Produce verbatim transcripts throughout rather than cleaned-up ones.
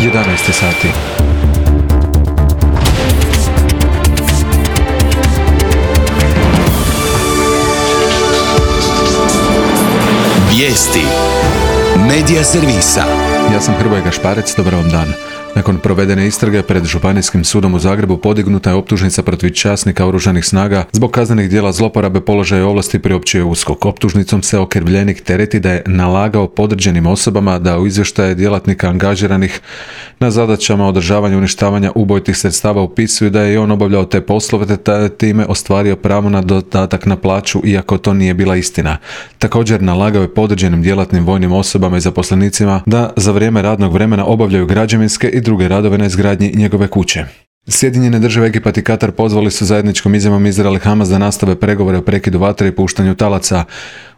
jedanaest sati. Vijesti Medija servisa. Ja sam Hrvoje Gašparec, dobar vam dan. Nakon provedene istrage pred Županijskim sudom u Zagrebu podignuta je optužnica protiv časnika oružanih snaga zbog kaznenih djela zloporabe položaja i ovlasti priopćio je USKOK. Optužnicom se okrivljenik tereti da je nalagao podređenim osobama da u izvještaje djelatnika angažiranih na zadaćama održavanja i uništavanja ubojitih sredstava upisuju da je i on obavljao te poslove te time ostvario pravo na dodatak na plaću, iako to nije bila istina. Također nalagao je podređenim djelatnim vojnim osobama i zaposlenicima da za vrijeme radnog vremena obavljaju građevinske i druge radove na izgradnji njegove kuće. Sjedinjene države, Egipat i Katar pozvali su zajedničkom izjavom Izrael i Hamas da nastave pregovore o prekidu vatre i puštanju talaca.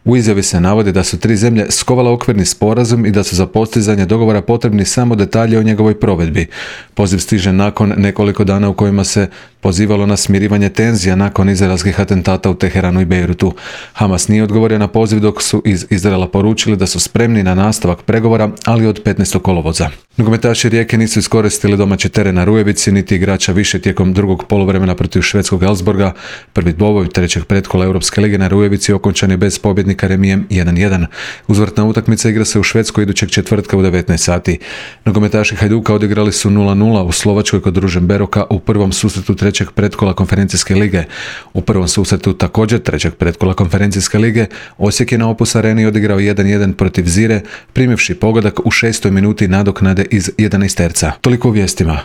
U izjavi se navodi da su tri zemlje skovale okvirni sporazum i da su za postizanje dogovora potrebni samo detalji o njegovoj provedbi. Poziv stiže nakon nekoliko dana u kojima se pozivalo na smirivanje tenzija nakon izraelskih atentata u Teheranu i Bejrutu. Hamas nije odgovorio na poziv dok su iz Izraela poručili da su spremni na nastavak pregovora, ali od petnaestog kolovoza. Nogometaši Rijeke nisu iskoristili domaći teren na Rujevici, niti igrača više tijekom drugog poluvremena protiv švedskog Elfsborga. Prvi dvoboj trećeg pretkola Europske lige na Rujevici okončan je bez pobjednika remijem jedan jedan. Uzvratna utakmica igra se u Švedskoj idućeg četvrtka u devetnaest sati. Nogometaši Hajduka odigrali su nula nula u Slovačkoj kod Ružen Beroka u prvom susretu trećeg pretkola konferencijske lige. U prvom susretu također trećeg pretkola konferencijske lige Osijek je na Opus Areni odigrao jedan jedan protiv Zire, primivši pogodak u šestoj minuti nadoknade iz jedanaesterca. Toliko u vijestima.